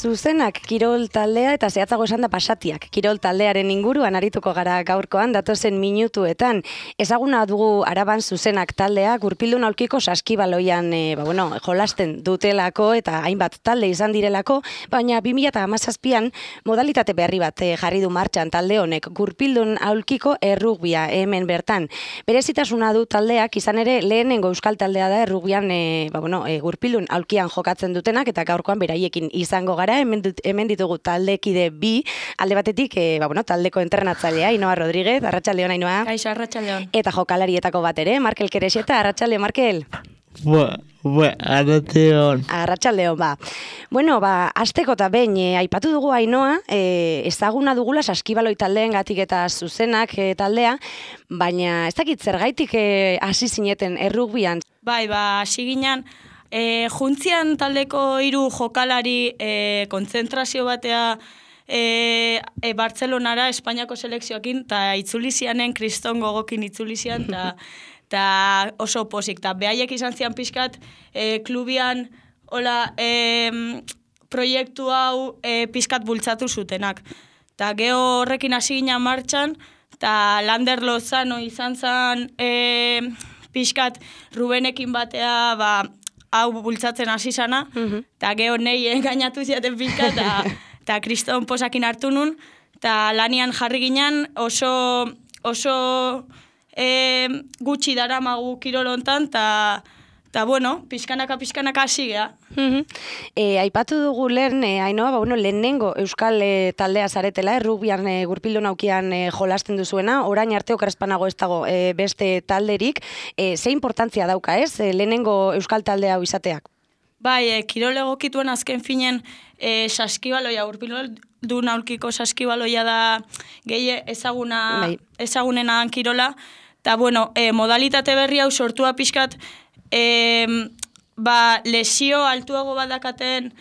zuzenak kirol taldea eta zehatzago esan da pasatiak. Kirol taldearen inguruan arituko gara gaurkoan datozen minutuetan. Ezaguna dugu Araban zuzenak taldea gurpildun aulkiko saskibaloian jolasten dutelako eta hainbat talde izan direlako, baina 2017an modalitate berri bat jarri du martxan talde honek gurpildun aulkiko errugbia hemen bertan. Berezitasuna du taldeak izan ere lehenengo euskal taldea da errugbian gurpildun aulkian jokatzen dutenak eta gaurkoan beraiekin izango gara, hemen ditugu taldekide bi, alde batetik taldeko entrenatzailea, Ainhoa Rodríguez, arratsaldeon Ainhoa. Kaixo, arratsaldeon. Eta jokalarietako bat ere, Markel Kerexeta, arratsalde Markel. Arratsaldeon. Arratsaldeon, hasteko eta behin aipatu dugu Ainhoa, ezaguna dugula saskibaloi taldeengatik eta zuzenak taldea, baina ez dakit zergaitik hasi zineten errugbian. Bai, hasi ginen, juntzian taldeko 3 jokalari kontzentrazio batea Bartzelonara, Espainiako selekzioakin, eta itzulizianen, kriston gogokin itzulizian, eta oso pozik. Eta behaiek izan zian pixkat, klubian, proiektu hau pixkat bultzatu zutenak. Eta geho horrekin hasi ginen martxan, eta Lander Lozano izan zen pixkat Rubenekin batea, hau bultzatzen hasi zana, eta geho nahi engainatu ziaten pixkat, eta kriston posakin hartu nun, eta lanian jarri ginen oso gutxi daramagu kirolontan, eta pixkanaka hasi geha. Aipatu dugu lehen, Ainhoa, lehenengo euskal taldea zaretela, errugbian gurpildun aukian jolasten duzuena, orain arte okerrezpanago ez dago beste talderik, ze importantzia dauka ez, lehenengo euskal taldea hau izateak? Bai, kirol egokituen azken finen saskibaloia, gurpildun aulkiko saskibaloia da gehi ezagunena kirola, eta modalitate berri hau sortua pixkat, lesio altuago badakaten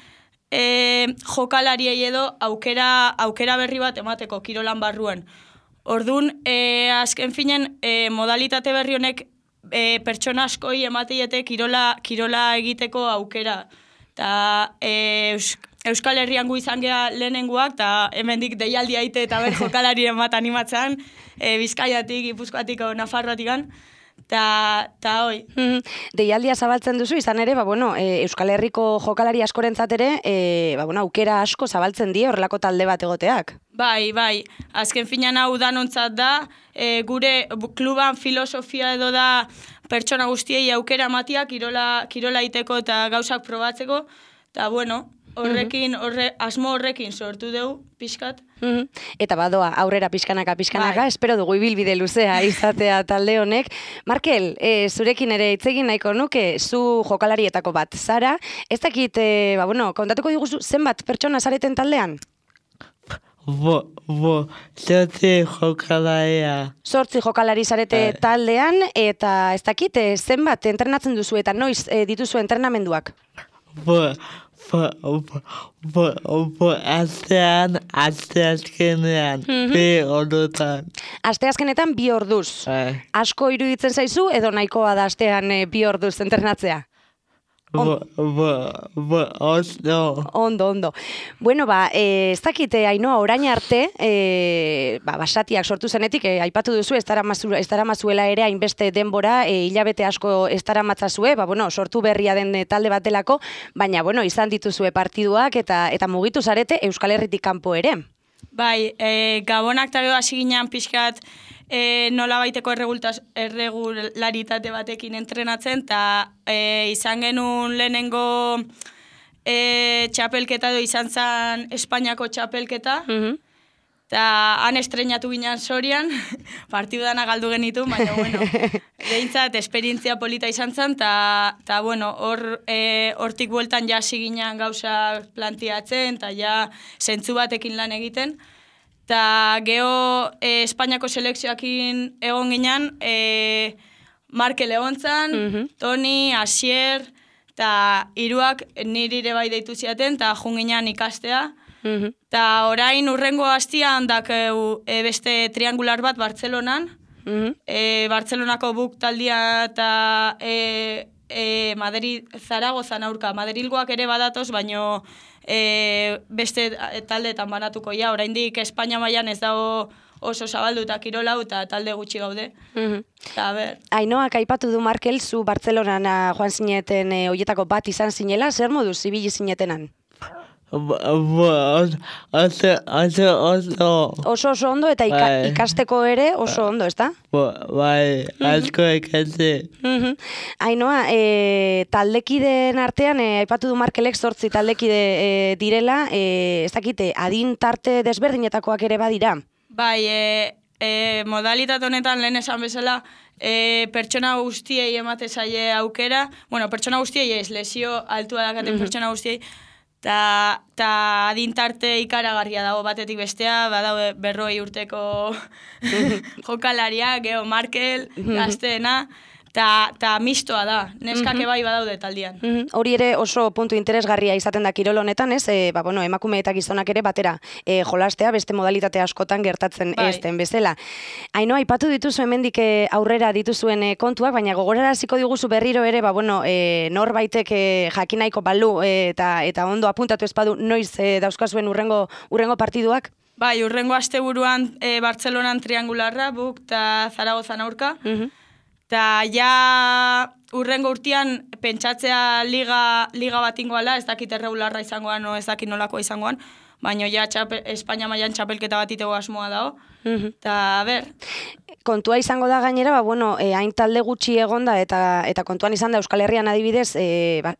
jokalariei edo aukera berri bat emateko kirolan barruan. Orduan, azken finen, modalitate berri honek pertsona askoi emateiete kirola egiteko aukera. Eta Euskal Herrian gu izan geha lehenengoak, eta hemendik deialdi aite eta jokalari emat animatzen, Bizkaiatik, Gipuzkoatik, Nafarroatik eta hoi. Deialdia zabaltzen duzu, izan ere, Euskal Herriko jokalari askorentzat ere, aukera asko zabaltzen die horrelako talde bat egoteak. Bai, azken finan hau danontzat da, gure kluban filosofia edo da pertsona guztiei aukera matia kirola iteko eta gauzak probatzeko, eta asmo horrekin sortu dugu, pixkat. Eta badoa, aurrera pixkanaka, espero dugu ibilbide luzea izatea talde honek. Markel, zurekin ere itzegin nahiko nuke, zu jokalarietako bat zara, ez dakit, kontatuko diguzu, zenbat pertsona zareten taldean? 8 jokalaria. 8 jokalari zarete taldean, eta ez dakit, zenbat entrenatzen duzu eta noiz dituzu entrenamenduak? Asteazkenean, 2 ordutan. Asteazkenetan 2 orduz. Asko iruditzen zaizu edo nahikoa da astean 2 orduz entrenatzea? Ondo. Ez dakit, Ainhoa, orain arte, basatiak sortu zenetik, aipatu duzu, ez daramazuela ere hainbeste denbora, hilabete asko ez daramatzazue, sortu berria den talde batelako, baina, izan dituzue partiduak eta mugitu zarete Euskal Herritik kanpo ere. Bai, Gabonak eta geho hasi ginen pixkat, nola baiteko erregularitate batekin entrenatzen, eta izan genuen lehenengo txapelketa edo izan zen Espainiako txapelketa, eta han estrenatu ginen Sorian, partidu dana galdu genitu, baina, behintzat, esperientzia polita izan zen, eta, hortik bueltan hasi ginen gauza planteatzen, eta ja zentzu batekin lan egiten, eta geho Espainiako selekzioakin egon ginen, Markel egon zen, Toni, Asier, eta 3 niri ere bai deitu ziaten, eta jun ginen ikastea. Eta orain urrengo hastian dakeu beste triangular bat Bartzelonan, Bartzelonako buk taldia eta Madrid Zaragozan aurka. Madrilgoak ere badatoz, baino beste taldeetan banatuko ja, oraindik Espainia mailan ez dago oso zabalduta kirolau eta talde gutxi gaude. Eta, ber. Ainoak aipatu du Markel, zu Bartzelonana joan zineten hoietako bat izan zinela, zer moduz ibili zinetenan? Oso ondo eta ikasteko ere oso ondo, ezta? Bai, asko ikasi. Ainoa, taldekideen artean, aipatu du Markelek 8 taldekide direla, ez dakite, adin tarte desberdinetakoak ere badira? Bai, modalitate honetan lehen esan bezala, pertsona guztiei emate zaie aukera, bueno, pertsona guztiei ez, lesio altua dakaten pertsona guztiei, eta adintarte ikaragarria dago batetik bestea, badaude 40 urteko jokalaria, Geo Markel, gazteena, eta mistoa da, neskake bai badaude taldian. Hori ere oso puntu interesgarria izaten da kirol honetan, ez? Emakume eta gizonak ere batera jolastea, beste modalitate askotan gertatzen ezten bezala. Ainoa, aipatu dituzu hemendik aurrera dituzuen kontuak, baina gogoraraziko diguzu berriro ere, norbaitek jakinaiko balu eta ondo apuntatu espadu noiz dauzkazuen urrengo partiduak? Bai, urrengo asteburuan Bartzelonan triangularra, buk eta Zaragozan aurka. Eta ja urrengo urtean pentsatzea liga bat ingoala, ez dakit erregularra izangoan o ez dakit nolakoa izangoan, baina ja Espainia mailan txapelketa bat itego asmoa dago. Eta, ber. Kontua izango da gainera, hain talde gutxi egonda eta kontuan izan da Euskal Herrian adibidez,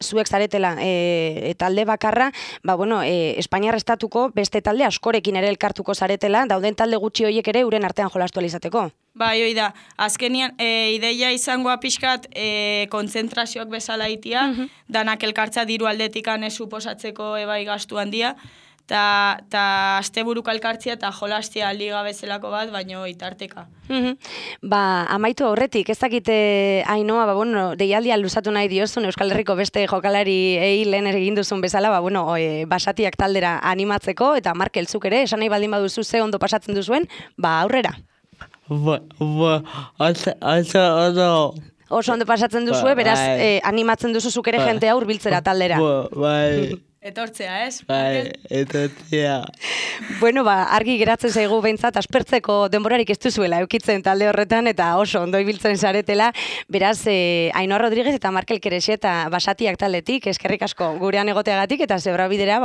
zuek zaretela talde bakarra, Espainiar estatuko beste talde askorekin ere elkartuko zaretela, dauden talde gutxi horiek ere uren artean jolastu alizateko. Bai, hoi da. Azkenian, ideia izangoa pixkat kontzentrazioak bezala itia, danak elkartza diru aldetikan ez suposatzeko ebai gastu handia, eta asteburuko elkartzia eta jolastia liga bezalako bat, baino itarteka. Amaitu aurretik, ez dakite Ainoa, deialdia luzatu nahi diozun Euskal Herriko beste jokalari lehen egin duzun bezala, basatiak taldera animatzeko, eta Markel zuk ere, esan nahi baldin baduzu ze ondo pasatzen duzuen, aurrera. Oso ondo pasatzen duzue, beraz, animatzen duzu zuk ere jentea hurbiltzera taldera. Etortzea, ez? Bai, etortzea. Argi geratzen zaigu behintzat, aspertzeko denborarik ez duzuela eukitzen talde horretan, eta oso ondo ibiltzen zaretela. Beraz, Ainoa Rodríguez eta Markel Kerexeta basatiak taldetik, eskerrik asko gurean egoteagatik, eta zebra bidera,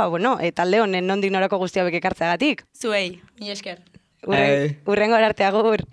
talde honen nondik norako guztia bek ekartzeagatik. Zuei, mi esker. Urrengo arte, agur.